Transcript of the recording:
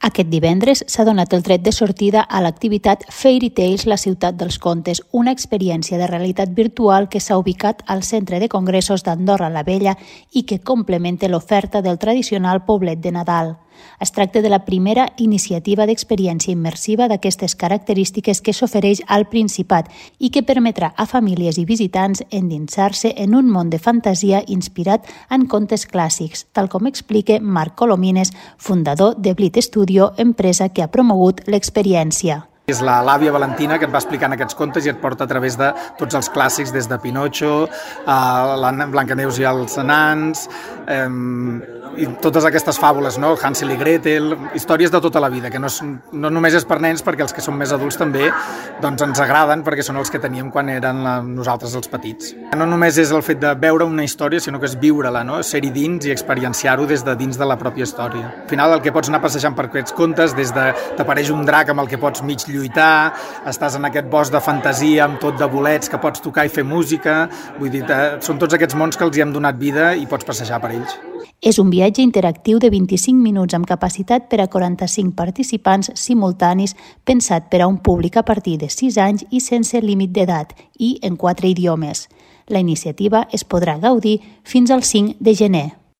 Aquest divendres s'ha donat el tret de sortida a l'activitat Fairy Tales, la ciutat dels contes, una experiència de realitat virtual que s'ha ubicat al Centre de Congressos d'Andorra la Vella i que complementa l'oferta del tradicional poblet de Nadal. Es tracta de la primera iniciativa d'experiència immersiva d'aquestes característiques que s'ofereix al Principat i que permetrà a famílies i visitants endinsar-se en un món de fantasia inspirat en contes clàssics, tal com explica Marc Colomines, fundador de Blit Studio, empresa que ha promogut l'experiència. És l'àvia Valentina que et va explicant aquests contes i et porta a través de tots els clàssics, des de Pinocho, a Blancaneus i els nans, i totes aquestes fàbules, no? Hansel i Gretel, històries de tota la vida, que no només és per nens, perquè els que són més adults també doncs ens agraden, perquè són els que teníem quan eren nosaltres els petits. No només és el fet de veure una història, sinó que és viure-la, no? Ser-hi dins i experienciar-ho des de dins de la pròpia història. Al final el que pots anar passejant per aquests contes, des de t'apareix un drac amb el que pots mig lluitar, estàs en aquest bosc de fantasia amb tot de bolets que pots tocar i fer música, vull dir, són tots aquests mons que els hi hem donat vida i pots passejar per ells. És un viatge interactiu de 25 minuts amb capacitat per a 45 participants simultanis, pensat per a un públic a partir de 6 anys i sense límit d'edat i en 4 idiomes. La iniciativa es podrà gaudir fins al 5 de gener.